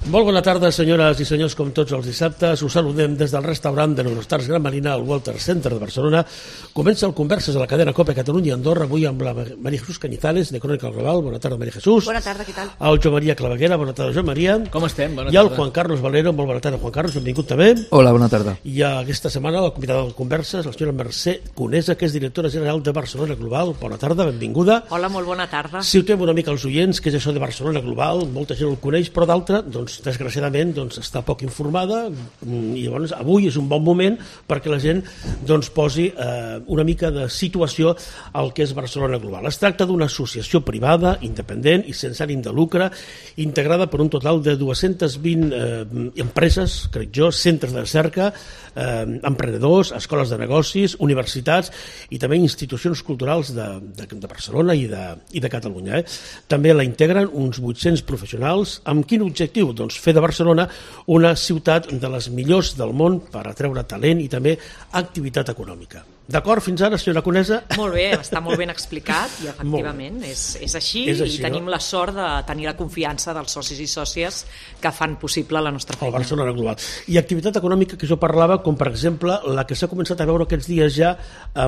Molt bona tarda, senyores i senyors, com tots els dissabtes. Us saludem des del restaurant de l'Eurostars Gran Marina al Walter Center de Barcelona. Comença el Converses a la cadena COPE Catalunya i Andorra, avui amb la María Jesús Cañizales, de Crónica Global. Bona tarda, María Jesús. Bona tarda, què tal? El Joan Maria Claveguera, bona tarda, Joan Maria. Com estem? Bona I el tarda. Juan Carlos Valero, molt bona tarda, Juan Carlos, benvingut també. Hola, bona tarda. I aquesta setmana la convidada del Converses, la senyora Mercè Conesa, que és directora general de Barcelona Global. Bona tarda, benvinguda. Hola, molt bona tarda. Situem una mica els oients, que és això de Barcelona Global, molta gent el coneix, però d'altra, doncs, desgraciadament, està poc informada, i llavors avui és un bon moment perquè la gent doncs, posi una mica de situació al que és Barcelona Global. Es tracta d'una associació privada, independent i sense ànim de lucre, integrada per un total de 220 empreses, crec jo, centres de recerca, emprenedors, escoles de negocis, universitats i també institucions culturals de Barcelona i de Catalunya. També la integren uns 800 professionals. Amb quin objectiu? Doncs fer de Barcelona una ciutat de les millors del món per atreure talent i també activitat econòmica. D'acord fins ara, senyora Conesa? Molt bé, està molt ben explicat i efectivament és així i tenim la sort de tenir la confiança dels socis i sòcies que fan possible la nostra feina. El Barcelona Global. I activitat econòmica que jo parlava, com per exemple la que s'ha començat a veure aquests dies ja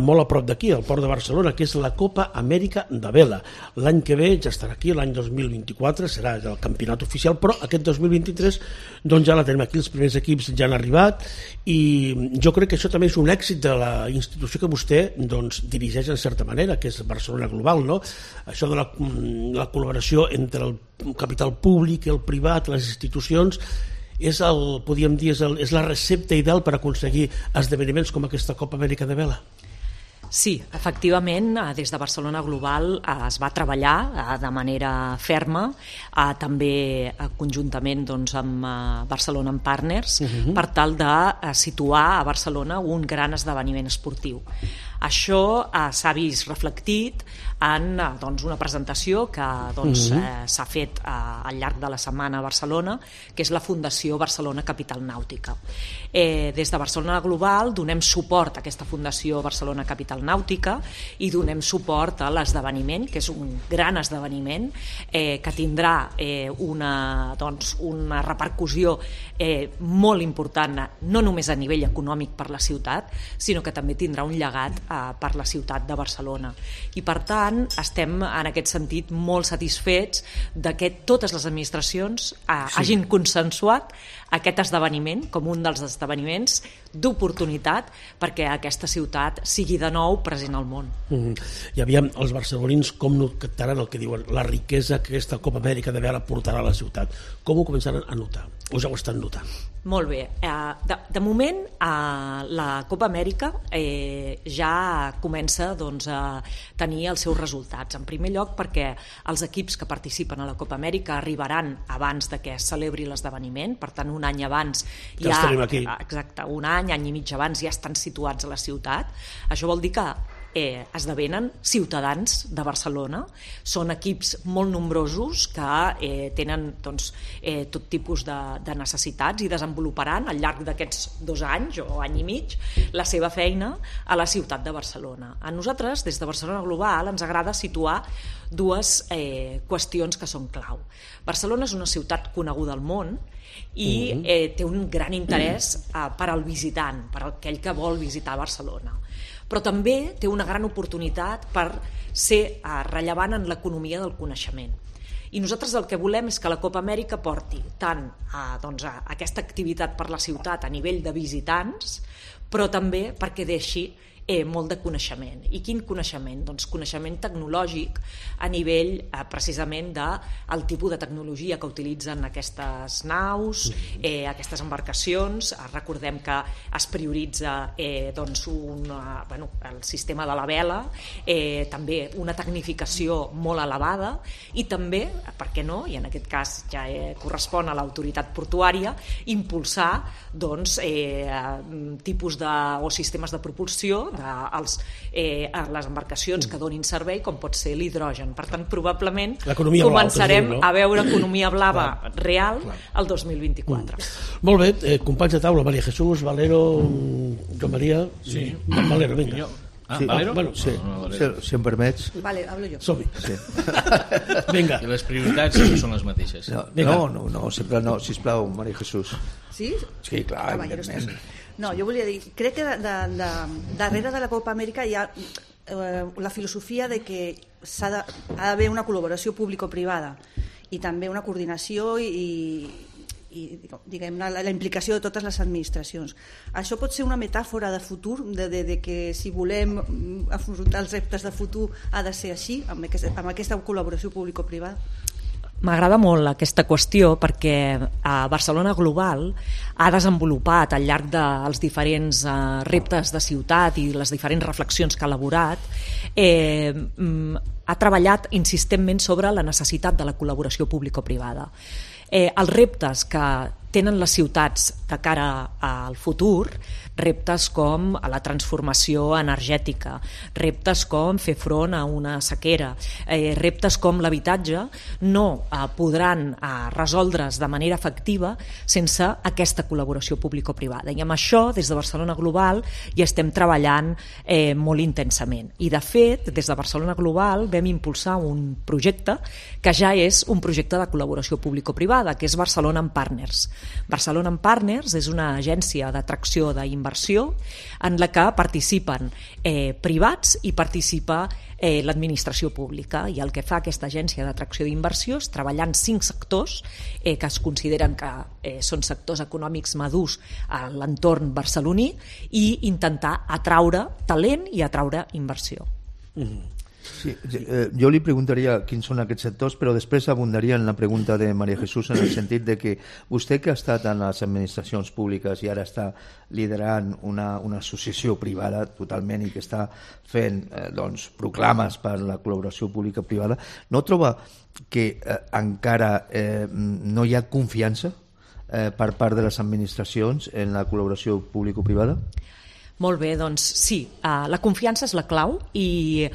molt a prop d'aquí, al Port de Barcelona, que és la Copa Amèrica de Vela. L'any que ve ja estarà aquí, l'any 2024, serà el campionat oficial, però aquest 2023 doncs ja la tenim aquí, els primers equips ja han arribat i jo crec que això també és un èxit de la institució que vostè doncs, dirigeix en certa manera, que és Barcelona Global, no? Això de la col·laboració entre el capital públic i el privat, les institucions, podríem dir, és la recepta ideal per aconseguir esdeveniments com aquesta Copa Amèrica de Vela? Sí, efectivament, des de Barcelona Global es va treballar de manera ferma, també conjuntament doncs, amb Barcelona en Partners, per tal de situar a Barcelona un gran esdeveniment esportiu. Això s'ha vist reflectit en una presentació que s'ha fet al llarg de la setmana a Barcelona, que és la Fundació Barcelona Capital Nàutica. Des de Barcelona Global donem suport a aquesta Fundació Barcelona Capital Nàutica i donem suport a l'esdeveniment, que és un gran esdeveniment que tindrà una repercussió molt important, no només a nivell econòmic per la ciutat, sinó que també tindrà un llegat per la ciutat de Barcelona. I per tant estem en aquest sentit molt satisfets de que totes les administracions hagin consensuat aquest esdeveniment com un dels esdeveniments d'oportunitat perquè aquesta ciutat sigui de nou present al món. I aviam, els barcelonins com no captaran el que diuen la riquesa que aquesta Copa Amèrica de Vela portarà a la ciutat? Com ho començaran a notar? O ja ho estan notant? Molt bé. De moment, la Copa Amèrica ja comença a tenir els seus resultats. En primer lloc, perquè els equips que participen a la Copa Amèrica arribaran abans de que es celebri l'esdeveniment, per tant, un any abans ja... Exacte, un any i mig abans ja estan situats a la ciutat. Això vol dir que esdevenen ciutadans de Barcelona. Són equips molt nombrosos que tenen tot tipus de necessitats i desenvoluparan al llarg d'aquests 2 anys o any i mig la seva feina a la ciutat de Barcelona. A nosaltres, des de Barcelona Global, ens agrada situar dues qüestions que són clau. Barcelona és una ciutat coneguda al món i té un gran interès per al visitant, per aquell que vol visitar Barcelona. Però també té una gran oportunitat per ser rellevant en l'economia del coneixement. I nosaltres el que volem és que la Copa Amèrica porti tant aquesta activitat per la ciutat a nivell de visitants, però també perquè deixi molt de coneixement. I quin coneixement? Doncs coneixement tecnològic a nivell precisament del tipus de tecnologia que utilitzen aquestes naus, aquestes embarcacions. Recordem que es prioritza el sistema de la vela, també una tecnificació molt elevada i també, per què no, i en aquest cas ja correspon a l'autoritat portuària, impulsar tipus o sistemes de propulsió a les embarcacions que donin servei, com pot ser l'hidrogen. Per tant, probablement començarem a veure economia blava real el 2024. Molt bé, companys de taula, María Jesús, Valero, Joan María. Sí. Valero, vinga. Valero? Bueno, Sí, si em permets. Vale, hablo jo. som-hi. Sí. Vinga. I les prioritats sempre són les mateixes. No, sempre no, sisplau, Maria Jesús. Sí? Sí, clar, Caballeros. evidentment. No, jo volia dir, crec que darrere de la Copa Amèrica hi ha la filosofia de que ha d'haver una col·laboració público-privada i també una coordinació i diguem, la implicació de totes les administracions. Això pot ser una metàfora de futur, de que si volem afrontar els reptes de futur ha de ser així, amb aquesta col·laboració público-privada? M'agrada molt aquesta qüestió perquè Barcelona Global ha desenvolupat al llarg dels diferents reptes de ciutat i les diferents reflexions que ha elaborat, ha treballat insistentment sobre la necessitat de la col·laboració público-privada. Els reptes que tenen les ciutats de cara al futur, reptes com la transformació energètica, reptes com fer front a una sequera, reptes com l'habitatge, no podran resoldre's de manera efectiva sense aquesta col·laboració público-privada. I amb això, des de Barcelona Global, hi estem treballant molt intensament. I, de fet, des de Barcelona Global vam impulsar un projecte que ja és un projecte de col·laboració público-privada, que és Barcelona en Partners. Barcelona en Partners és una agència d'atracció d'inversió en la que participen privats i participa l'administració pública, i el que fa aquesta agència d'atracció d'inversió és treballar en 5 sectors que es consideren que són sectors econòmics madurs a l'entorn barceloní i intentar atraure talent i atraure inversió. Sí, jo li preguntaria quins són aquests sectors, però després abundaria en la pregunta de Maria Jesús en el sentit de que vostè, que ha estat en les administracions públiques i ara està liderant una associació privada totalment i que està fent proclames per la col·laboració pública-privada, no troba que encara no hi ha confiança per part de les administracions en la col·laboració público-privada? Molt bé, doncs sí, la confiança és la clau i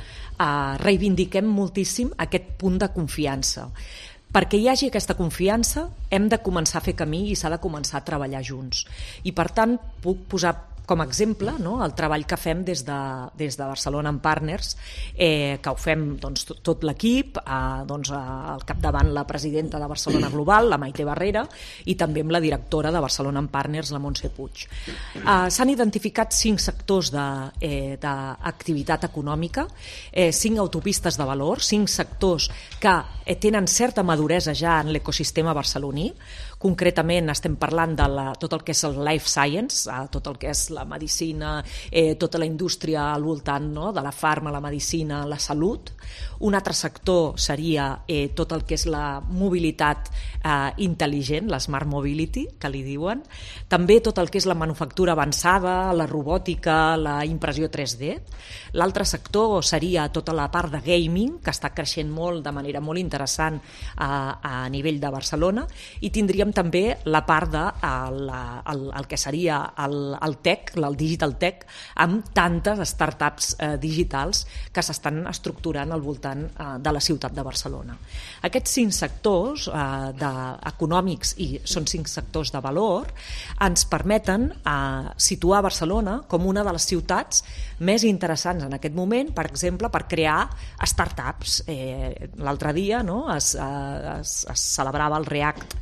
reivindiquem moltíssim aquest punt de confiança. Perquè hi hagi aquesta confiança hem de començar a fer camí i s'ha de començar a treballar junts. I per tant puc posar com a exemple el treball que fem des de Barcelona en Partners, que ho fem tot l'equip, al capdavant la presidenta de Barcelona Global, la Maite Barrera, i també amb la directora de Barcelona en Partners, la Montse Puig. S'han identificat 5 sectors d'activitat econòmica, 5 autopistes de valor, 5 sectors que tenen certa maduresa ja en l'ecosistema barceloní. Concretament estem parlant de tot el que és el life science, tot el que és la medicina, tota la indústria al voltant de la farma, la medicina, la salut. Un altre sector seria tot el que és la mobilitat intel·ligent, la smart mobility, que li diuen. També tot el que és la manufactura avançada, la robòtica, la impressió 3D. L'altre sector seria tota la part de gaming, que està creixent molt, de manera molt interessant a nivell de Barcelona, i tindríem també la part de el que seria el tech, el digital tech, amb tantes startups digitals que s'estan estructurant al voltant de la ciutat de Barcelona. Aquests 5 sectors econòmics, i són 5 sectors de valor, ens permeten situar Barcelona com una de les ciutats més interessants en aquest moment, per exemple, per crear startups. L'altre dia es celebrava el REACT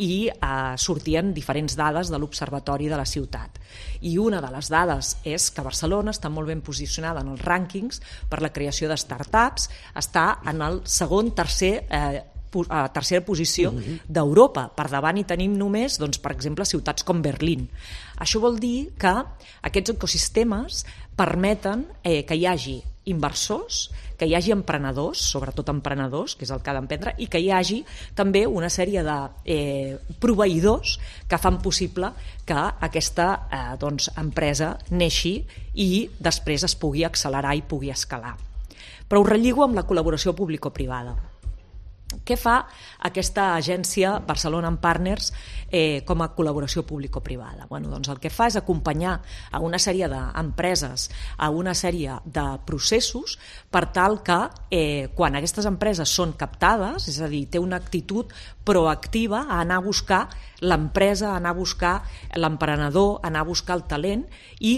i sortien diferents dades de l'Observatori de la ciutat. I una de les dades és que Barcelona està molt ben posicionada en els rànquings per la creació de startups, està en el tercera posició d'Europa. Per davant hi tenim només, per exemple, ciutats com Berlín. Això vol dir que aquests ecosistemes permeten que hi hagi inversors, que hi hagi emprenedors, sobretot emprenedors, que és el que ha d'emprendre, i que hi hagi també una sèrie de proveïdors que fan possible que aquesta empresa neixi i després es pugui accelerar i pugui escalar. Però ho relligo amb la col·laboració público-privada. Què fa aquesta agència Barcelona en Partners com a col·laboració público-privada? El que fa és acompanyar a una sèrie d'empreses, a una sèrie de processos, per tal que quan aquestes empreses són captades, és a dir, té una actitud proactiva a anar a buscar l'empresa, a anar a buscar l'emprenedor, a anar a buscar el talent i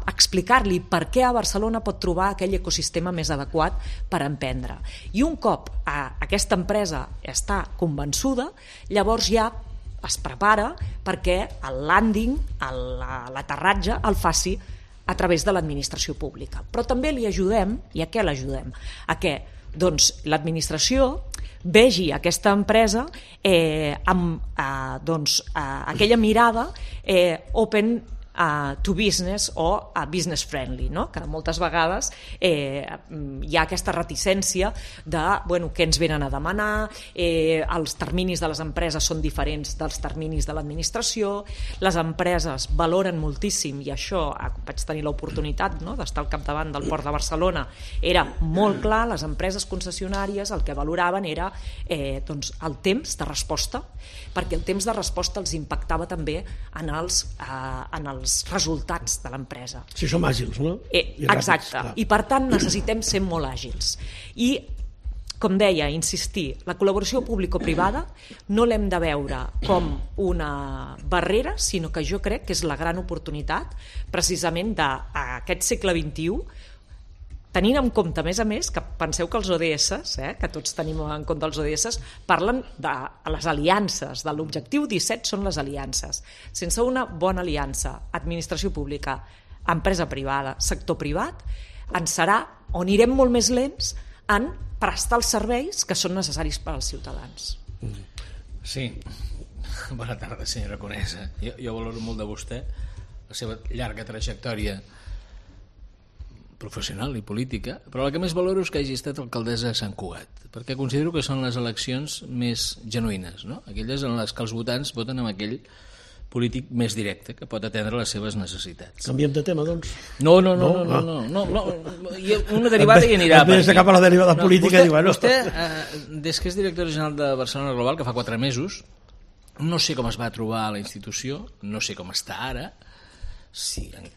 explicar-li per què a Barcelona pot trobar aquell ecosistema més adequat per emprendre. I un cop aquesta empresa està convençuda, llavors ja es prepara perquè el landing, l'aterratge, el faci a través de l'administració pública. Però també li ajudem, i a què l'ajudem? A què? Doncs l'administració vegi aquesta empresa amb aquella mirada open to business o business friendly, no? Que moltes vegades hi ha aquesta reticència de què ens venen a demanar, els terminis de les empreses són diferents dels terminis de l'administració, les empreses valoren moltíssim, i això vaig tenir l'oportunitat d'estar al capdavant del Port de Barcelona, era molt clar, les empreses concessionàries el que valoraven era el temps de resposta, perquè el temps de resposta els impactava també en els resultats de l'empresa. Si som àgils, no? Exacte, i per tant necessitem ser molt àgils. I, com deia, insistir, la col·laboració público-privada no l'hem de veure com una barrera, sinó que jo crec que és la gran oportunitat precisament d'aquest segle XXI, tenint en compte, a més, que penseu que els ODS, que tots tenim en compte els ODS, parlen de les aliances, de l'objectiu 17 són les aliances. Sense una bona aliança, administració pública, empresa privada, sector privat, anirem molt més lents en prestar els serveis que són necessaris per als ciutadans. Sí, bona tarda, senyora Conesa. Jo valoro molt de vostè, la seva llarga trajectòria professional i política, però el que més valoro és que hagi estat alcaldessa de Sant Cugat, perquè considero que són les eleccions més genuïnes, no? Aquelles en les que els votants voten amb aquell polític més directe, que pot atendre les seves necessitats. Canviem de tema, doncs? No. Una derivada hi anirà. Més de cap a la derivada política. Vostè, des que és director general de Barcelona Global, que fa 4 mesos, no sé com es va trobar a la institució, no sé com està ara,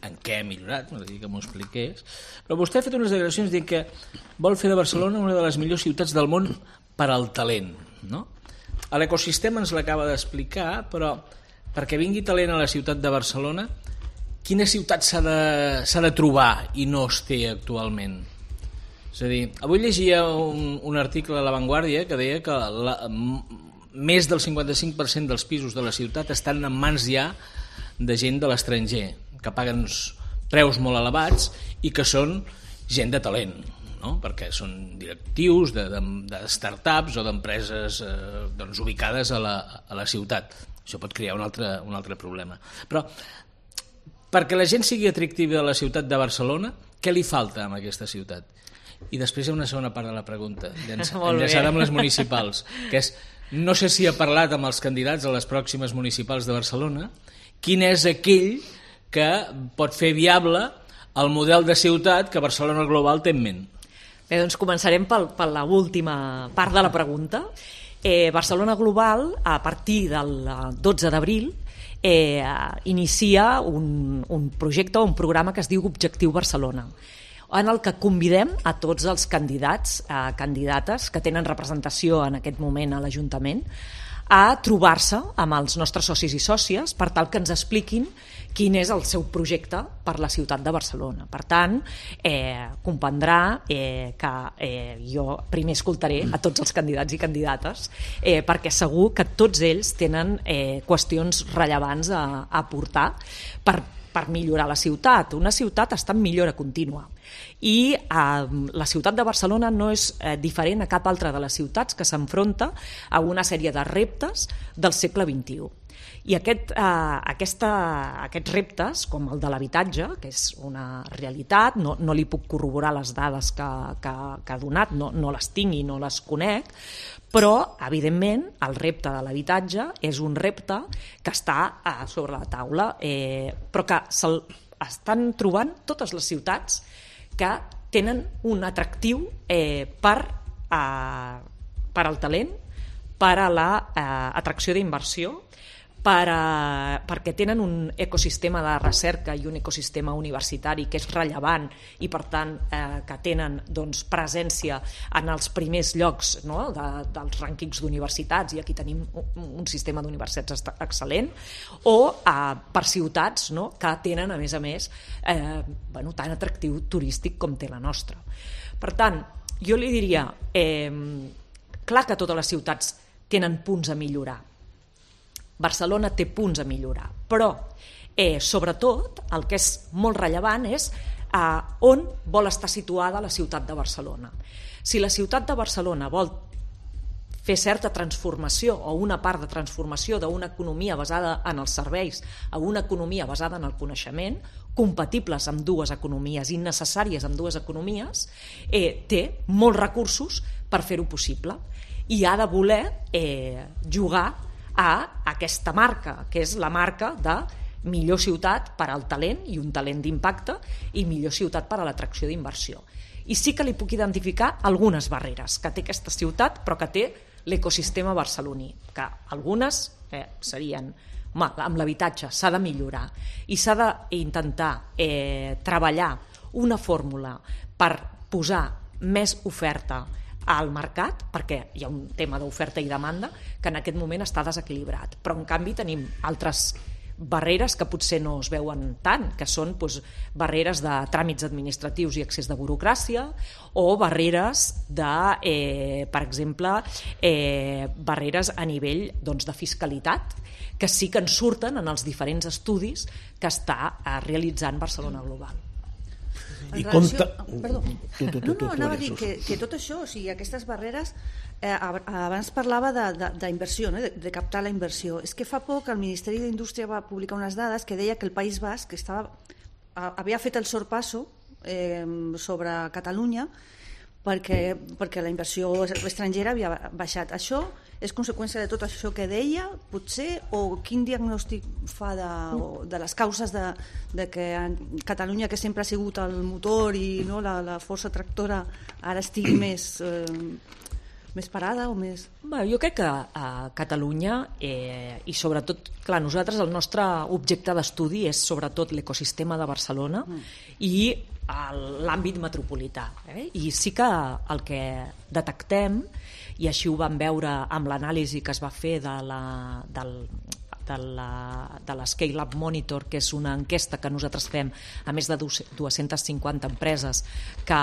en què ha millorat, m'agradaria que m'ho expliqués, però vostè ha fet unes declaracions dient que vol fer de Barcelona una de les millors ciutats del món per al talent, no? L'ecosistema ens l'acaba d'explicar, però perquè vingui talent a la ciutat de Barcelona, quina ciutat s'ha de trobar i no es té actualment? És a dir, avui llegia un article a La Vanguardia que deia que més del 55% dels pisos de la ciutat estan en mans ja de gent de l'estranger, que paguen preus molt elevats i que són gent de talent, no? Perquè són directius de startups o d'empreses ubicades a la ciutat. Això pot crear un altre problema. Però perquè la gent sigui atractiva a la ciutat de Barcelona, què li falta a aquesta ciutat? I després hi ha una segona part de la pregunta, enllaçada amb les municipals, que és, no sé si ha parlat amb els candidats a les pròximes municipals de Barcelona, quin és aquell que pot fer viable el model de ciutat que Barcelona Global té en ment. Bé, doncs començarem per l'última part de la pregunta. Barcelona Global, a partir del 12 d'abril, inicia un projecte, un programa que es diu Objectiu Barcelona, en el que convidem a tots els candidats, candidates que tenen representació en aquest moment a l'Ajuntament, a trobar-se amb els nostres socis i sòcies per tal que ens expliquin quin és el seu projecte per la ciutat de Barcelona. Per tant, comprendrà que jo primer escoltaré a tots els candidats i candidates perquè segur que tots ells tenen qüestions rellevants a aportar per millorar la ciutat. Una ciutat està en millora contínua i la ciutat de Barcelona no és diferent a cap altra de les ciutats que s'enfronta a una sèrie de reptes del segle XXI. I aquests reptes, com el de l'habitatge, que és una realitat, no li puc corroborar les dades que ha donat, no les tinc i no les conec, però, evidentment, el repte de l'habitatge és un repte que està sobre la taula, però que estan trobant totes les ciutats que tenen un atractiu per al talent, per a l'atracció d'inversió, perquè tenen un ecosistema de recerca i un ecosistema universitari que és rellevant i per tant que tenen presència en els primers llocs, no? dels rànquings d'universitats, i aquí tenim un sistema d'universitats excel·lent, o per ciutats, no? que tenen a més tan atractiu turístic com té la nostra. Per tant, jo li diria, clar que totes les ciutats tenen punts a millorar. Barcelona té punts a millorar, però sobretot el que és molt rellevant és on vol estar situada la ciutat de Barcelona. Si la ciutat de Barcelona vol fer certa transformació o una part de transformació d'una economia basada en els serveis a una economia basada en el coneixement, compatibles amb dues economies i necessàries amb dues economies, té molts recursos per fer-ho possible i ha de voler jugar a aquesta marca, que és la marca de millor ciutat per al talent i un talent d'impacte i millor ciutat per a l'atracció d'inversió. I sí que li puc identificar algunes barreres que té aquesta ciutat però que té l'ecosistema barceloní, que algunes serien amb l'habitatge s'ha de millorar i s'ha d'intentar treballar una fórmula per posar més oferta al mercat, perquè hi ha un tema d'oferta i demanda que en aquest moment està desequilibrat, però en canvi tenim altres barreres que potser no es veuen tant, que són barreres de tràmits administratius i excés de burocràcia, o barreres de, per exemple, barreres a nivell de fiscalitat, que sí que en surten en els diferents estudis que està realitzant Barcelona Global. Anava a dir que tot això, o sigui, aquestes barreres, abans parlava d'inversió, de captar la inversió. És que fa poc el Ministeri d'Indústria va publicar unes dades que deia que el País Basc havia fet el sorpasso sobre Catalunya perquè la inversió estrangera havia baixat. Això és conseqüència de tot això que deia, potser, o quin diagnòstic fa de les causes de que Catalunya, que sempre ha sigut el motor i la força tractora, ara estigui més parada o més... Jo crec que a Catalunya, i sobretot, clar, nosaltres el nostre objecte d'estudi és sobretot l'ecosistema de Barcelona i l'àmbit metropolità. I sí que el que detectem, i així ho vam veure amb l'anàlisi que es va fer de la Scale Up Monitor, que és una enquesta que nosaltres fem a més de 250 empreses que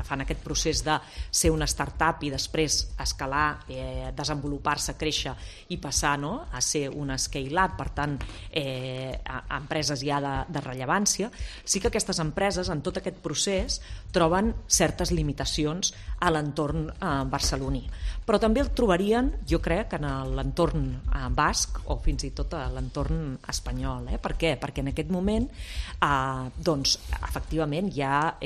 fan aquest procés de ser una startup i després escalar, desenvolupar-se, créixer i passar a ser una scale up, per tant empreses ja de rellevància. Sí que aquestes empreses en tot aquest procés troben certes limitacions a l'entorn barceloní, però també el trobarien, jo crec, en l'entorn basc o fins i tot a l'entorn espanyol. Per què? Perquè en aquest moment efectivament hi ha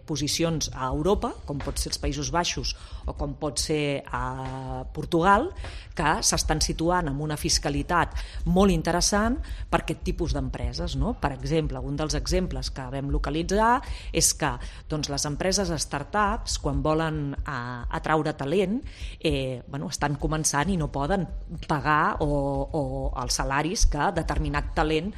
posicions a Europa, com pot ser els Països Baixos o com pot ser a Portugal, que s'estan situant amb una fiscalitat molt interessant per aquest tipus d'empreses. Per exemple, un dels exemples que vam localitzar és que les empreses startups, quan volen atraure talent, estan començant i no poden pagar o els salaris que determinat talent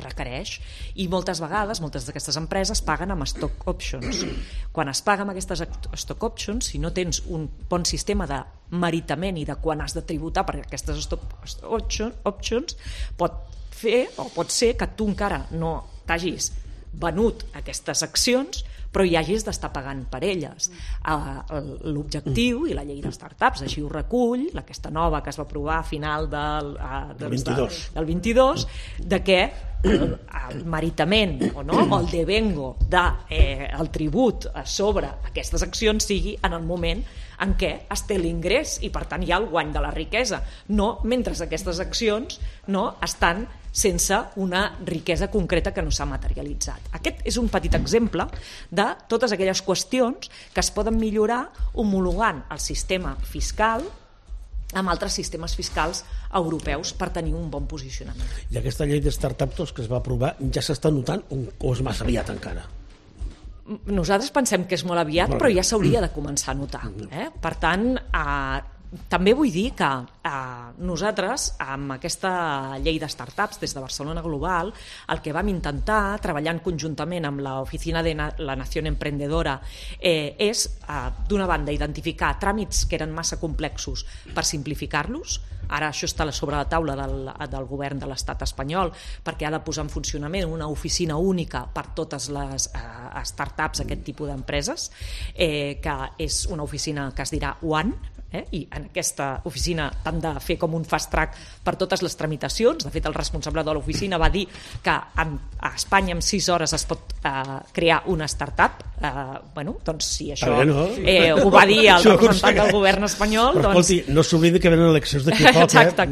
requereix, i moltes vegades moltes d'aquestes empreses paguen amb stock options. Quan es paga amb aquestes stock options, si no tens un bon sistema de meritament i de quan has de tributar per aquestes stock options, pot ser que tu encara no t'hagis venut aquestes accions però hi hagis d'estar pagant per elles. L'objectiu i la llei de startups així ho recull, aquesta nova que es va aprovar a final del 22, de que el meritament o el devengo del tribut sobre aquestes accions sigui en el moment en què es té l'ingrés i per tant hi ha el guany de la riquesa, no mentre aquestes accions estan sense una riquesa concreta que no s'ha materialitzat. Aquest és un petit exemple de totes aquelles qüestions que es poden millorar homologant el sistema fiscal amb altres sistemes fiscals europeus per tenir un bon posicionament. I aquesta llei de startups que es va aprovar ja s'està notant o és massa aviat encara? Nosaltres pensem que és molt aviat, però ja s'hauria de començar a notar. Per tant, també vull dir que nosaltres, amb aquesta llei de startups des de Barcelona Global, el que vam intentar, treballant conjuntament amb l'Oficina de la Nación Emprendedora, és, d'una banda, identificar tràmits que eren massa complexos per simplificar-los. Ara això està sobre la taula del govern de l'estat espanyol, perquè ha de posar en funcionament una oficina única per totes les startups, aquest tipus d'empreses, que és una oficina que es dirà One, i en aquesta oficina han de fer com un fast track per totes les tramitacions. De fet, el responsable de l'oficina va dir que a Espanya en 6 hores es pot crear una startup. Doncs si això ho va dir el representant del govern espanyol, però escolti, no s'oblidi que venen eleccions d'aquí a poc. Exacte,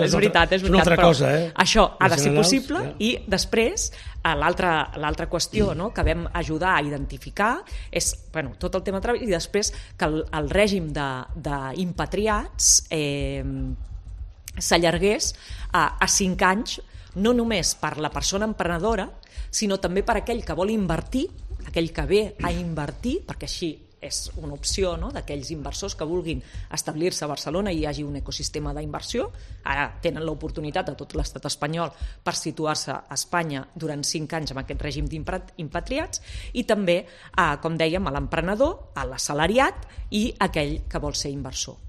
és veritat, és una altra cosa. Això ha de ser possible. I després l'altra qüestió que vam ajudar a identificar és tot el tema de treball, i després que el règim d'impatriats s'allargués a 5 anys, no només per la persona emprenedora, sinó també per aquell que vol invertir, aquell que ve a invertir, perquè així és una opció d'aquells inversors que vulguin establir-se a Barcelona i hi hagi un ecosistema d'inversió. Ara tenen l'oportunitat de tot l'estat espanyol per situar-se a Espanya durant 5 anys amb aquest règim d'impatriats, i també, com dèiem, a l'emprenedor, a l'assalariat i aquell que vol ser inversor.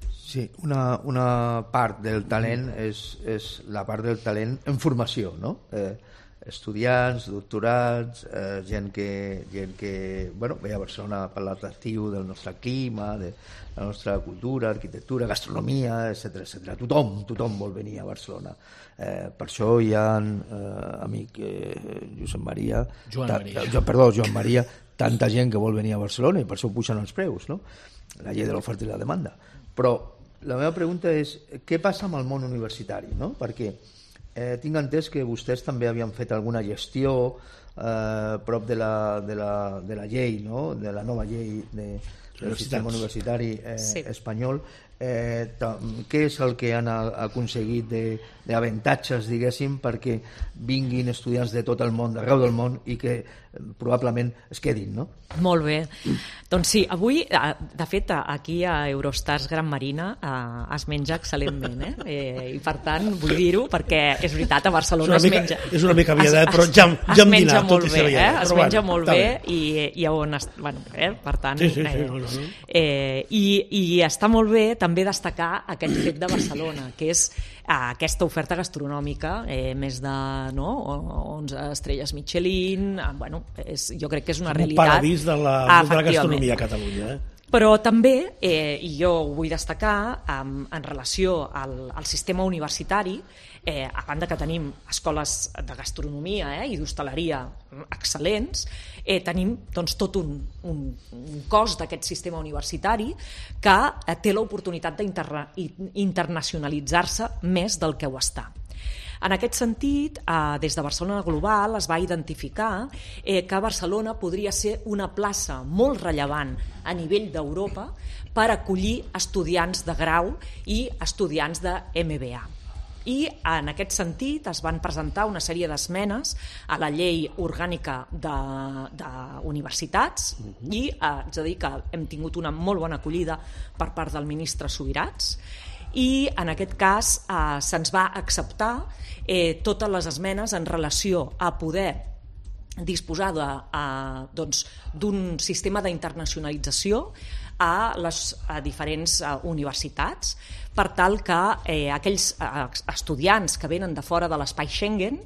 Sí, una part del talent és la part del talent en formació, no? Estudiants, doctorats, gent que ve a Barcelona per l'atractiu del nostre clima, de la nostra cultura, arquitectura, gastronomia, etc. Tothom vol venir a Barcelona. Per això hi ha amic Joan Maria, tanta gent que vol venir a Barcelona, i per això pugen els preus, no? La llei de l'oferta i la demanda. Però la meva pregunta és, què passa amb el món universitari, no? Perquè tinc entès que vostès també havien fet alguna gestió prop de la llei, no? De la nova llei del sistema universitari espanyol. Què és el que han aconseguit d'avantatges, diguéssim, perquè vinguin estudiants de tot el món, d'arreu del món, i que probablement es quedin, no? Molt bé. Doncs sí, avui, de fet, aquí a Eurostars Gran Marina es menja excel·lentment, i per tant vull dir-ho, perquè és veritat, a Barcelona es menja... És una mica viadat, però ja hem dinat, tot i ser viadat. Es menja molt bé, i on... per tant... I està molt bé també destacar aquest fet de Barcelona, que és aquesta oferta gastronòmica, més de 11 estrelles Michelin, jo crec que és una realitat. Un paradís de la gastronomia a Catalunya. Però també, i jo ho vull destacar, en relació al sistema universitari, a banda que tenim escoles de gastronomia i d'hostaleria excel·lents, tenim tot un cos d'aquest sistema universitari que té l'oportunitat d'internacionalitzar-se més del que ho està. En aquest sentit, des de Barcelona Global es va identificar que Barcelona podria ser una plaça molt rellevant a nivell d'Europa per acollir estudiants de grau i estudiants de MBA. I en aquest sentit es van presentar una sèrie d'esmenes a la llei orgànica d'universitats, i haig de dir que hem tingut una molt bona acollida per part del ministre Subirats, i en aquest cas se'ns va acceptar totes les esmenes en relació a poder disposar d'un sistema d'internacionalització a les diferents universitats, per tal que aquells estudiants que venen de fora de l'espai Schengen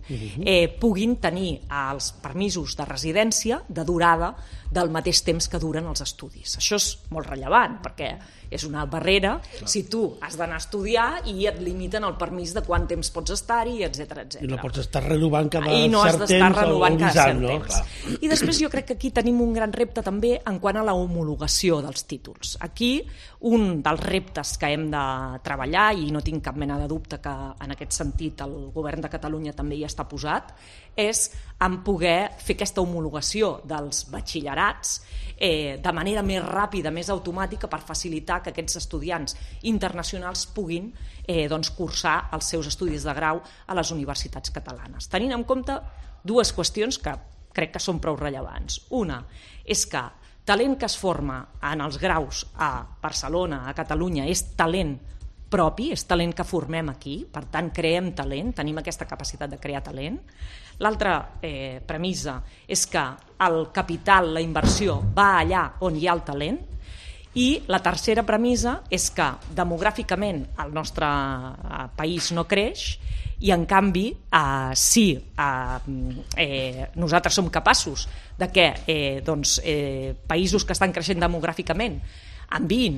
puguin tenir els permisos de residència de durada del mateix temps que duren els estudis. Això és molt rellevant, perquè és una barrera si tu has d'anar a estudiar i et limiten el permís de quant temps pots estar-hi, etc. I no pots estar renovant cada cert temps. I no has d'estar renovant cada cert temps. I després jo crec que aquí tenim un gran repte també en quant a la homologació dels títols. Aquí un dels reptes que hem de treballar, i no tinc cap mena de dubte que en aquest sentit el govern de Catalunya també hi està posat, és en poder fer aquesta homologació dels batxillerats de manera més ràpida, més automàtica, per facilitar que aquests estudiants internacionals puguin cursar els seus estudis de grau a les universitats catalanes. Tenint en compte dues qüestions que crec que són prou rellevants. Una és que talent que es forma en els graus a Barcelona, a Catalunya, és talent propi, és talent que formem aquí, per tant creem talent, tenim aquesta capacitat de crear talent. L'altra premissa és que el capital, la inversió, va allà on hi ha el talent, i la tercera premissa és que demogràficament el nostre país no creix i en canvi si nosaltres som capaços de que països que estan creixent demogràficament enviïn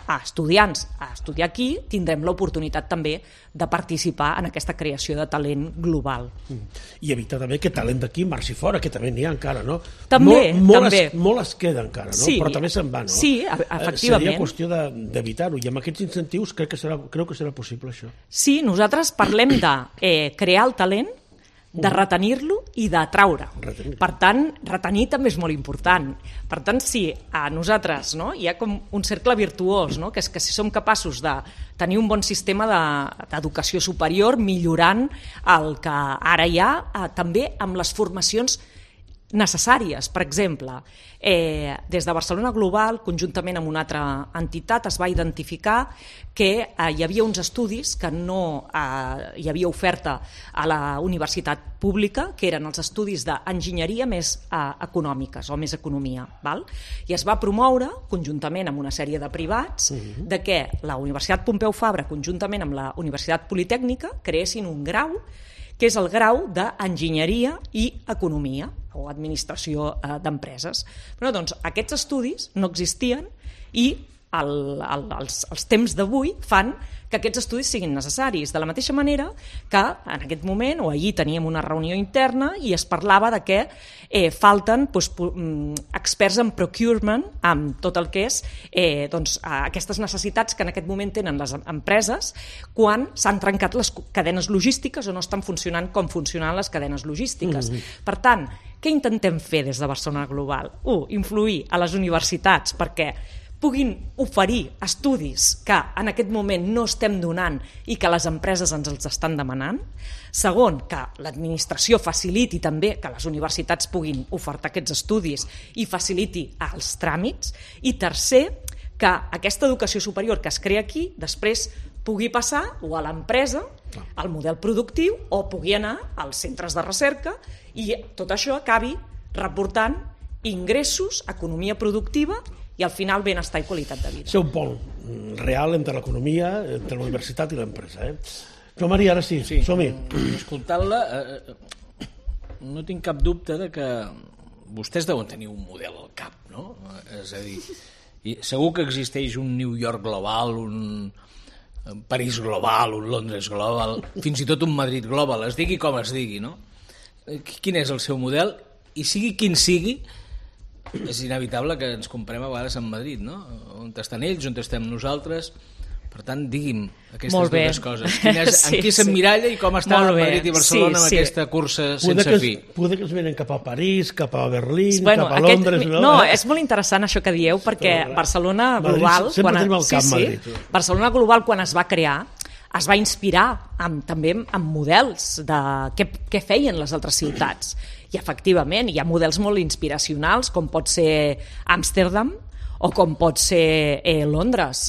a estudiants a estudiar aquí, tindrem l'oportunitat també de participar en aquesta creació de talent global. I evitar també que talent d'aquí marxi fora, que també n'hi ha encara, no? També, també. Molt es queda encara, no? Sí, però també se'n va, no? Sí, efectivament. Seria qüestió d'evitar-ho, i amb aquests incentius creu que serà possible això. Sí, nosaltres parlem de crear el talent, de retenir-lo i d'atraure. Per tant, retenir també és molt important. Per tant, sí, a nosaltres hi ha com un cercle virtuós, que és que si som capaços de tenir un bon sistema d'educació superior, millorant el que ara hi ha, també amb les formacions necessàries. Per exemple, des de Barcelona Global, conjuntament amb una altra entitat, es va identificar que hi havia uns estudis que no hi havia oferta a la universitat pública, que eren els estudis d'enginyeria més econòmiques o més economia. I es va promoure, conjuntament amb una sèrie de privats, de que la Universitat Pompeu Fabra, conjuntament amb la Universitat Politècnica, creessin un grau que és el grau d'enginyeria i economia o administració d'empreses. Però doncs aquests estudis no existien i els temps d'avui fan que aquests estudis siguin necessaris. De la mateixa manera que en aquest moment, o ahir teníem una reunió interna i es parlava de que falten experts en procurement, amb tot el que és aquestes necessitats que en aquest moment tenen les empreses quan s'han trencat les cadenes logístiques o no estan funcionant com funcionen les cadenes logístiques. Per tant, què intentem fer des de Barcelona Global? Influir a les universitats perquè puguin oferir estudis que en aquest moment no estem donant i que les empreses ens els estan demanant. Segon, que l'administració faciliti també que les universitats puguin ofertar aquests estudis i faciliti els tràmits. I tercer, que aquesta educació superior que es crea aquí després pugui passar o a l'empresa, al model productiu, o pugui anar als centres de recerca i tot això acabi reportant ingressos, economia productiva i al final benestar i qualitat de vida. Ser un pol real entre l'economia, entre la universitat i l'empresa. Joan Maria, ara sí, som-hi. Escoltant-la, no tinc cap dubte de que vostès deuen tenir un model al cap, no? És a dir, segur que existeix un New York global, un París global, un Londres global, fins i tot un Madrid global, es digui com es digui, no? Quin és el seu model? I sigui quin sigui, és inevitable que ens comparem a vegades amb Madrid, no? On estan ells, on estem nosaltres. Per tant, digui'm aquestes dues coses. En qui s'emmiralla i com està Madrid i Barcelona amb aquesta cursa sense fi? Poder que es venen cap a París, cap a Berlín, cap a Londres... No, és molt interessant això que dieu, perquè Barcelona Global... Sempre tenim al cap Madrid. Barcelona Global, quan es va crear, es va inspirar també en models de què feien les altres ciutats. I efectivament hi ha models molt inspiracionals, com pot ser Amsterdam o com pot ser Londres,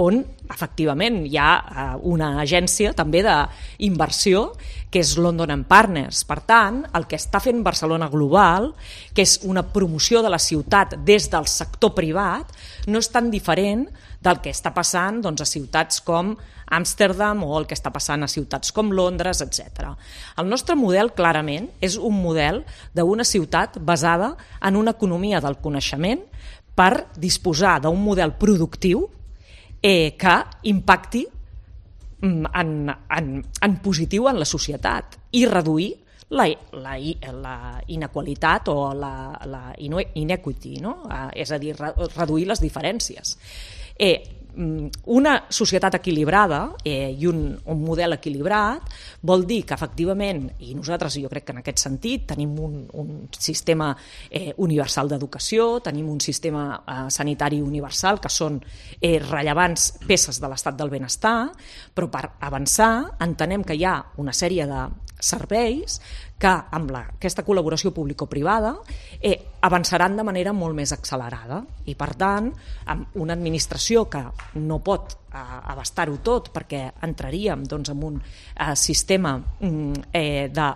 on efectivament hi ha una agència també d'inversió que és London & Partners. Per tant, el que està fent Barcelona Global, que és una promoció de la ciutat des del sector privat, no és tan diferent del que està passant a ciutats com Amsterdam o el que està passant a ciutats com Londres, etc. El nostre model, clarament, és un model d'una ciutat basada en una economia del coneixement per disposar d'un model productiu que impacti en positiu en la societat i reduir la inequalitat o la inequity, no? És a dir, reduir les diferències. Una societat equilibrada i un model equilibrat vol dir que efectivament, i nosaltres jo crec que en aquest sentit tenim un sistema universal d'educació, tenim un sistema sanitari universal que són rellevants peces de l'estat del benestar, però per avançar entenem que hi ha una sèrie de serveis que amb aquesta col·laboració público-privada avançaran de manera molt més accelerada i, per tant, amb una administració que no pot abastar-ho tot perquè entraríem doncs, en un sistema de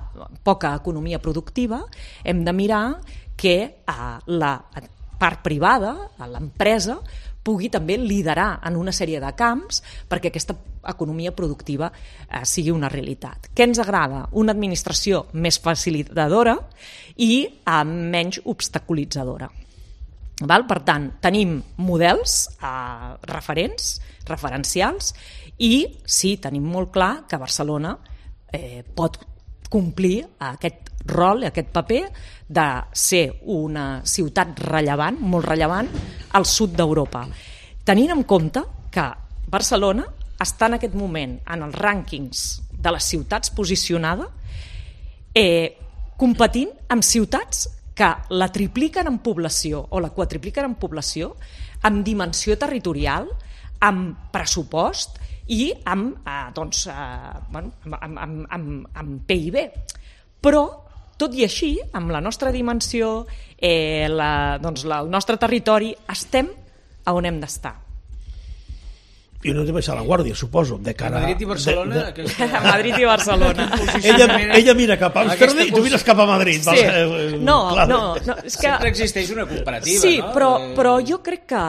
poca economia productiva, hem de mirar que la part privada, l'empresa, pugui també liderar en una sèrie de camps perquè aquesta economia productiva sigui una realitat. Què ens agrada? Una administració més facilitadora i menys obstaculitzadora. Per tant, tenim models referencials i sí, tenim molt clar que Barcelona pot complir aquest rol, aquest paper de ser una ciutat rellevant, molt rellevant, al sud d'Europa. Tenint en compte que Barcelona està en aquest moment en els rànquings de les ciutats posicionada competint amb ciutats que la tripliquen en població o la quadripliquen en població, amb dimensió territorial, amb pressupost i amb PIB. Però, tot i així, amb la nostra dimensió, el nostre territori, estem a on hem d'estar. I no hem de baixar la guàrdia, suposo, de cara... Madrid i Barcelona... Madrid i Barcelona. Ella mira cap a Amsterdam i tu mires cap a Madrid. Sí. No, és que... Sempre existeix una comparativa, sí, no? però jo crec que...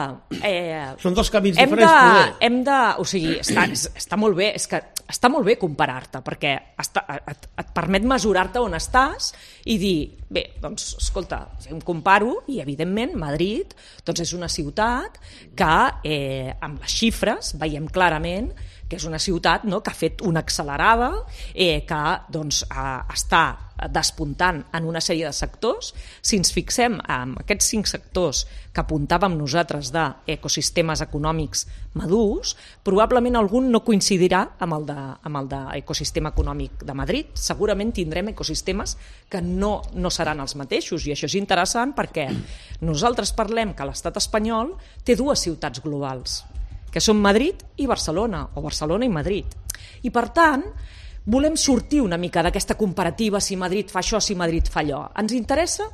Són dos camins diferents. O sigui, està molt bé, és que està molt bé comparar-te, perquè et permet mesurar-te on estàs i dir, bé, doncs, escolta, em comparo i, evidentment, Madrid doncs és una ciutat que, amb les xifres, veiem clarament que és una ciutat que ha fet una accelerada, que doncs, està despuntant en una sèrie de sectors. Si ens fixem en aquests 5 sectors que apuntàvem nosaltres d'ecosistemes econòmics madurs, probablement algun no coincidirà amb el d'ecosistema econòmic de Madrid. Segurament tindrem ecosistemes que no seran els mateixos, i això és interessant perquè nosaltres parlem que l'estat espanyol té 2 ciutats globals, que són Madrid i Barcelona, o Barcelona i Madrid. I, per tant, volem sortir una mica d'aquesta comparativa, si Madrid fa això, si Madrid fa allò. Ens interessa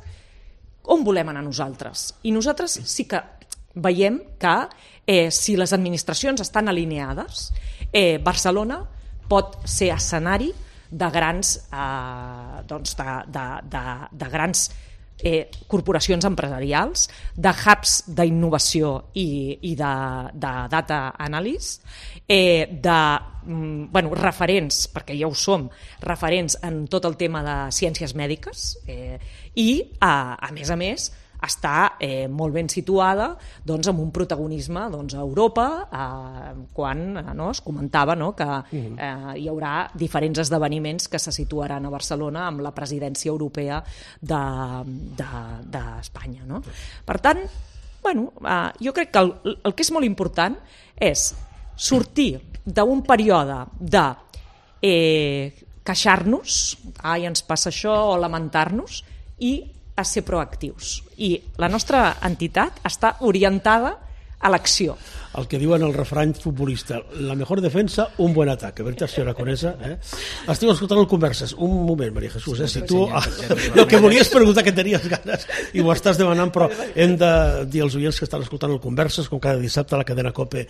on volem anar nosaltres. I nosaltres sí que veiem que si les administracions estan alineades, Barcelona pot ser escenari de grans corporacions empresarials, de hubs d'innovació i de data analysis, referents, perquè ja ho som, referents en tot el tema de ciències mèdiques, i, a més, està molt ben situada amb un protagonisme a Europa, quan es comentava que hi haurà diferents esdeveniments que se situaran a Barcelona amb la presidència europea d'Espanya. Per tant, jo crec que el que és molt important és sortir d'un període de queixar-nos, ens passa això, o lamentar-nos, i a ser proactius. I la nostra entitat està orientada a l'acció. El que diuen el refrany futbolista, la mejor defensa, un buen ataque. Veritat, senyora Conesa? Estic escoltant el Converses. Un moment, Maria Jesús, si tu el que volies preguntar que tenies ganes i ho estàs demanant, però hem de dir als oients que estan escoltant el Converses, com cada dissabte a la cadena COPE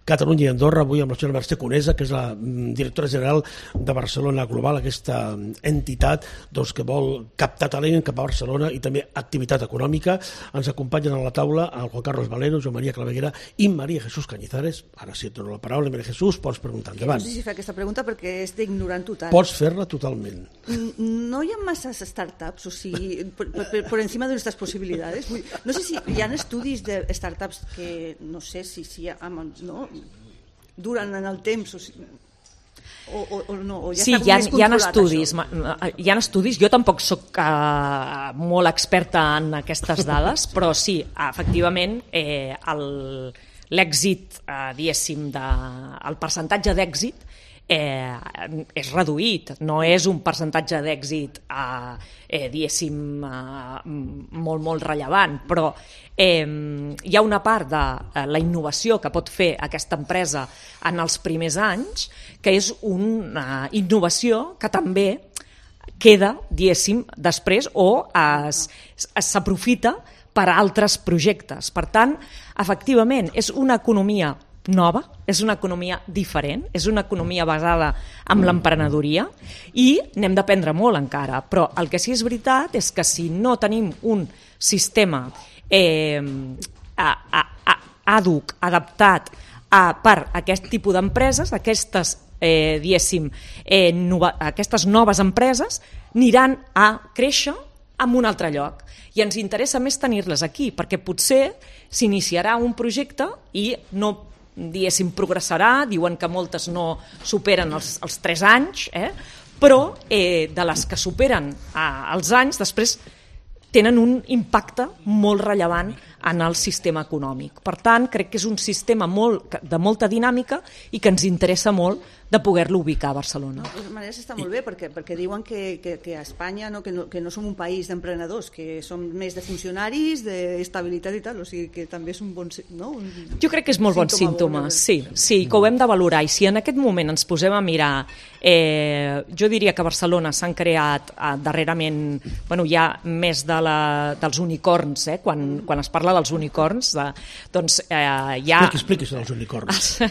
Catalunya i Andorra, avui amb la senyora Mercè Conesa, que és la directora general de Barcelona Global, aquesta entitat que vol captar talent cap a Barcelona i també activitat econòmica. Ens acompanyen a la taula el Juan Carlos Valero, Joan Maria Claveguera i Maria Jesús Cañizares. Ara sí et dono la paraula, Maria Jesús, pots preguntar endavant. No sé si fa aquesta pregunta perquè és d'ignorant total. Pots fer-la totalment. No hi ha masses startups, o sigui, por encima de nuestras posibilidades. No sé si hi ha estudis de startups que, no sé si hi ha, no, duren en el temps, o no, o ja sí, hi ha estudis. Hi ha estudis. Jo tampoc soc molt experta en aquestes dades, però sí, efectivament, l'èxit, diguéssim, el percentatge d'èxit és reduït, no és un percentatge d'èxit diguéssim molt, molt rellevant, però hi ha una part de la innovació que pot fer aquesta empresa en els primers anys, que és una innovació que també queda, diguéssim, després o s'aprofita per a altres projectes. Per tant, efectivament, és una economia nova, és una economia diferent, és una economia basada en l'emprenedoria i n'hem d'aprendre molt encara, però el que sí és veritat és que si no tenim un sistema àdhuc, adaptat per a aquest tipus d'empreses, aquestes aquestes noves empreses aniran a créixer en un altre lloc i ens interessa més tenir-les aquí perquè potser s'iniciarà un projecte i no, diguéssim, progressarà, diuen que moltes no superen els 3 anys, però de les que superen els anys després tenen un impacte molt rellevant en el sistema econòmic. Per tant, crec que és un sistema de molta dinàmica i que ens interessa molt de poder-lo ubicar a Barcelona. De totes maneres està molt bé perquè diuen que a Espanya que no som un país d'emprenedors, que som més de funcionaris, d'estabilitat i tal, o sigui que també és un bon... No? Jo crec que és molt bon símptoma, sí, que ho hem de valorar i si en aquest moment ens posem a mirar, jo diria que a Barcelona s'han creat darrerament, hi ha més dels unicorns, quan es parla dels unicorns, doncs hi ha... Expliqui això dels unicorns.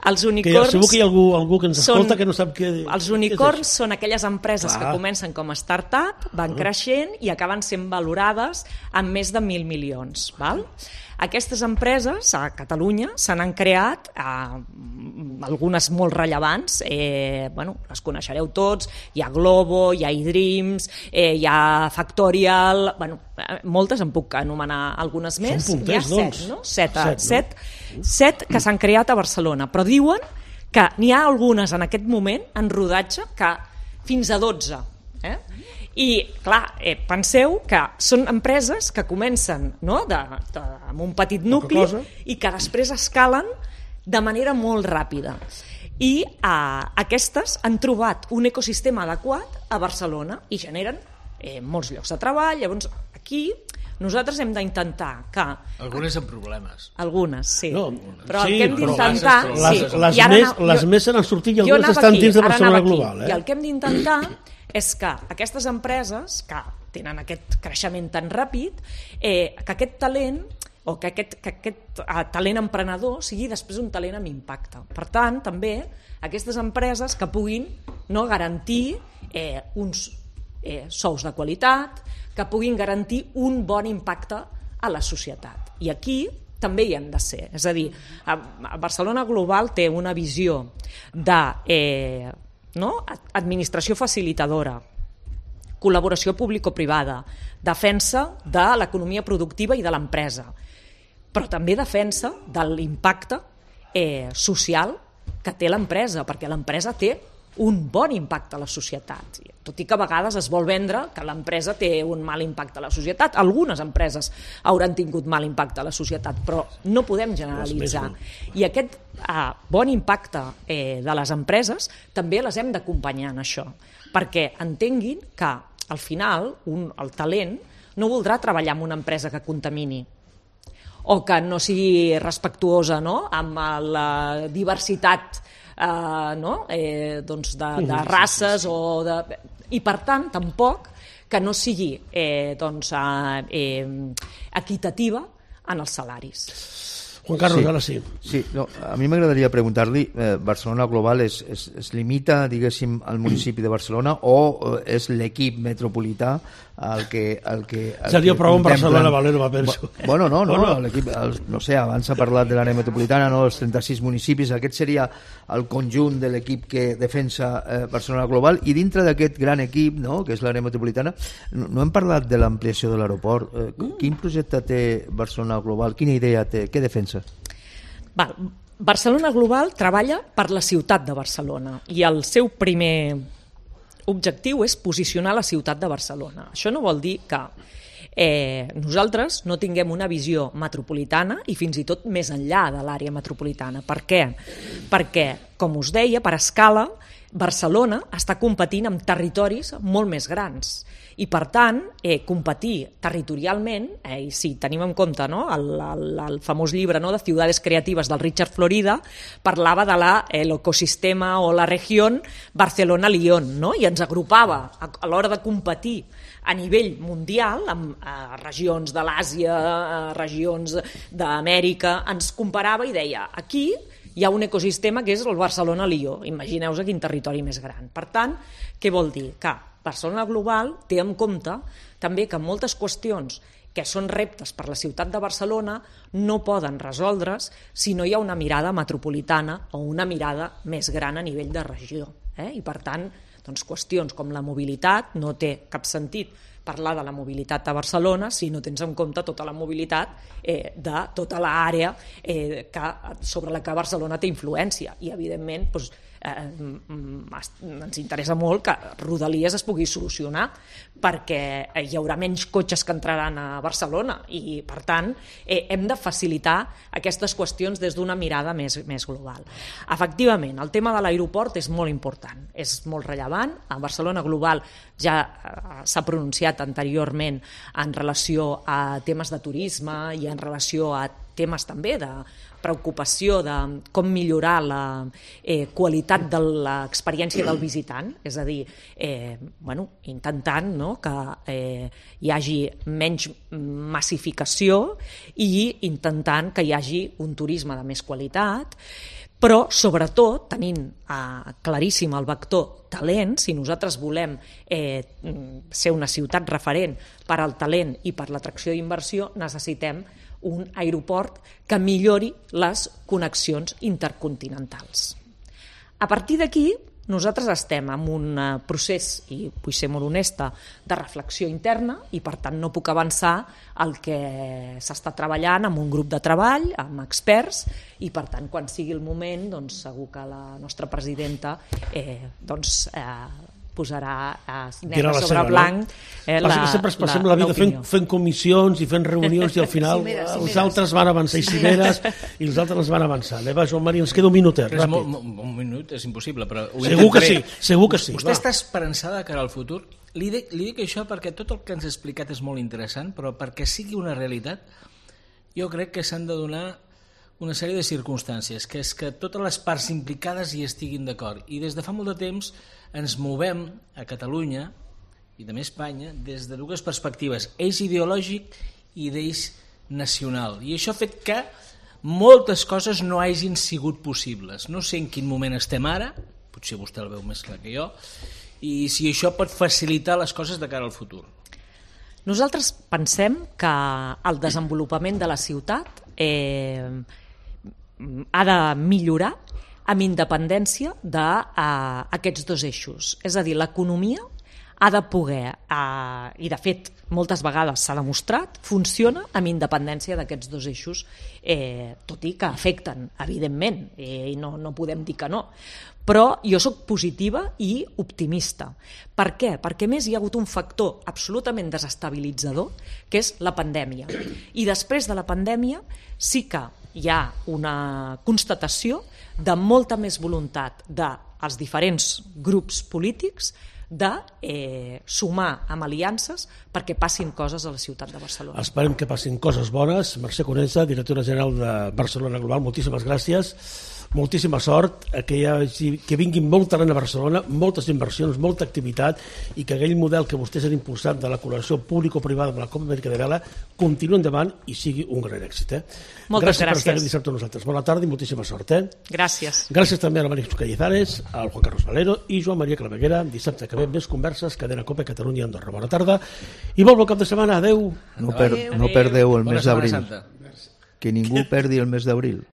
Els unicorns... Segur que hi ha algú que ens escolta que no sap què... Els unicorns són aquelles empreses que comencen com a start-up, van creixent i acaben sent valorades amb més de 1.000 milions. Val? Aquestes empreses a Catalunya se n'han creat algunes molt rellevants, les coneixereu tots, hi ha Globo, hi ha iDreams, hi ha Factorial, moltes en puc anomenar algunes més. Són punters, doncs. 7 que s'han creat a Barcelona, però diuen que n'hi ha algunes en aquest moment en rodatge que fins a 12. I, clar, penseu que són empreses que comencen amb un petit nucli i que després escalen de manera molt ràpida. I aquestes han trobat un ecosistema adequat a Barcelona i generen molts llocs de treball. Llavors, aquí nosaltres hem d'intentar que... Algunes amb problemes. Algunes, sí. No, però el que hem d'intentar... Les més se n'han sortit i algunes estan dins de Barcelona Global. I el que hem d'intentar és que aquestes empreses que tenen aquest creixement tan ràpid, que aquest talent o que aquest talent emprenedor sigui després un talent amb impacte. Per tant, també aquestes empreses que puguin garantir uns sous de qualitat, que puguin garantir un bon impacte a la societat. I aquí també hi hem de ser. És a dir, Barcelona Global té una visió de administració facilitadora, col·laboració público-privada, defensa de l'economia productiva i de l'empresa, però també defensa de l'impacte social que té l'empresa, perquè l'empresa té un bon impacte a la societat, tot i que a vegades es vol vendre que l'empresa té un mal impacte a la societat. Algunes empreses hauran tingut mal impacte a la societat, però no podem generalitzar. I aquest bon impacte de les empreses també les hem d'acompanyar en això, perquè entenguin que al final el talent no voldrà treballar en una empresa que contamini o que no sigui respectuosa amb la diversitat de races i per tant tampoc que no sigui equitativa en els salaris. Juan Carlos, ara sí. Sí, a mi m'agradaria preguntar-li, Barcelona Global es limita, diguéssim, al municipi de Barcelona o és l'equip metropolità el que seria prou en Barcelona, Valero, penso. Bueno, l'equip, no sé, abans s'ha parlat de l'àrea metropolitana, els 36 municipis, aquest seria el conjunt de l'equip que defensa Barcelona Global, i dintre d'aquest gran equip, que és l'àrea metropolitana, no hem parlat de l'ampliació de l'aeroport. Quin projecte té Barcelona Global? Quina idea té? Què defensa? Barcelona Global treballa per la ciutat de Barcelona i el seu primer objectiu és posicionar la ciutat de Barcelona. Això no vol dir que nosaltres no tinguem una visió metropolitana i fins i tot més enllà de l'àrea metropolitana. Per què? Perquè, com us deia, per escala Barcelona està competint amb territoris molt més grans i, per tant, competir territorialment, i si tenim en compte el famós llibre de Ciudades Creatives del Richard Florida, parlava de l'ecosistema o la regió Barcelona-Lyon, i ens agrupava a l'hora de competir a nivell mundial, amb regions de l'Àsia, regions d'Amèrica, ens comparava i deia, aquí hi ha un ecosistema que és el Barcelona-Lió. Imagineu-vos quin territori més gran. Per tant, què vol dir? Que Barcelona Global té en compte també que moltes qüestions que són reptes per la ciutat de Barcelona no poden resoldre's si no hi ha una mirada metropolitana o una mirada més gran a nivell de regió. I per tant, qüestions com la mobilitat, no té cap sentit parlar de la mobilitat a Barcelona si no tens en compte tota la mobilitat de tota l'àrea sobre la que Barcelona té influència. I, evidentment, ens interessa molt que Rodalies es pugui solucionar perquè hi haurà menys cotxes que entraran a Barcelona i, per tant, hem de facilitar aquestes qüestions des d'una mirada més global. Efectivament, el tema de l'aeroport és molt important, és molt rellevant. A Barcelona Global ja s'ha pronunciat anteriorment en relació a temes de turisme i en relació a temes també de preocupació de com millorar la qualitat de l'experiència del visitant, és a dir, intentant que hi hagi menys massificació i intentant que hi hagi un turisme de més qualitat, però sobretot tenint claríssim el vector talent. Si nosaltres volem ser una ciutat referent per al talent i per l'atracció d'inversió, necessitem un aeroport que millori les connexions intercontinentals. A partir d'aquí, nosaltres estem en un procés, i vull ser molt honesta, de reflexió interna i, per tant, no puc avançar el que s'està treballant amb un grup de treball, amb experts, i, per tant, quan sigui el moment, segur que la nostra presidenta posarà negre sobre blanc sempre es passem la vida fent comissions i fent reunions i al final els altres van avançar i cimeres i els altres van avançar. Va, Joan Maria, ens queda un minutet, ràpid. Un minut és impossible, però segur que sí. Vostè està esperançada de cara al futur? Li dic això perquè tot el que ens ha explicat és molt interessant, però perquè sigui una realitat jo crec que s'han de donar una sèrie de circumstàncies, que és que totes les parts implicades hi estiguin d'acord. I des de fa molt de temps ens movem a Catalunya i també a Espanya des de dues perspectives, eix ideològic i d'eix nacional. I això ha fet que moltes coses no hagin sigut possibles. No sé en quin moment estem ara, potser vostè el veu més clar que jo, i si això pot facilitar les coses de cara al futur. Nosaltres pensem que el desenvolupament de la ciutat ha de millorar amb independència d'aquests dos eixos. És a dir, l'economia ha de poder, i de fet moltes vegades s'ha demostrat, funciona amb independència d'aquests dos eixos, tot i que afecten, evidentment, i no podem dir que no. Però jo soc positiva i optimista. Per què? Perquè més hi ha hagut un factor absolutament desestabilitzador, que és la pandèmia. I després de la pandèmia sí que hi ha una constatació de molta més voluntat dels diferents grups polítics de sumar amb aliances perquè passin coses a la ciutat de Barcelona. Esperem que passin coses bones. Mercè Conesa, directora general de Barcelona Global, moltíssimes gràcies. Moltíssima sort, que vinguin molt talent a Barcelona, moltes inversions, molta activitat i que aquell model que vostès han impulsat de la col·laboració público-privada amb la Copa Amèrica de Vela continuï endavant i sigui un gran èxit. Moltes gràcies. Per estar aquí dissabte amb nosaltres. Bona tarda i moltíssima sort. Gràcies. Gràcies també a la Maria Cañizares, al Juan Carlos Valero i Joan Maria Claveguera. Dissabte que ve més converses, Cadena Copa Catalunya Andorra. Bona tarda i molt bon cap de setmana. Adéu. No perdeu el mes d'abril. Que ningú perdi el mes d'abril.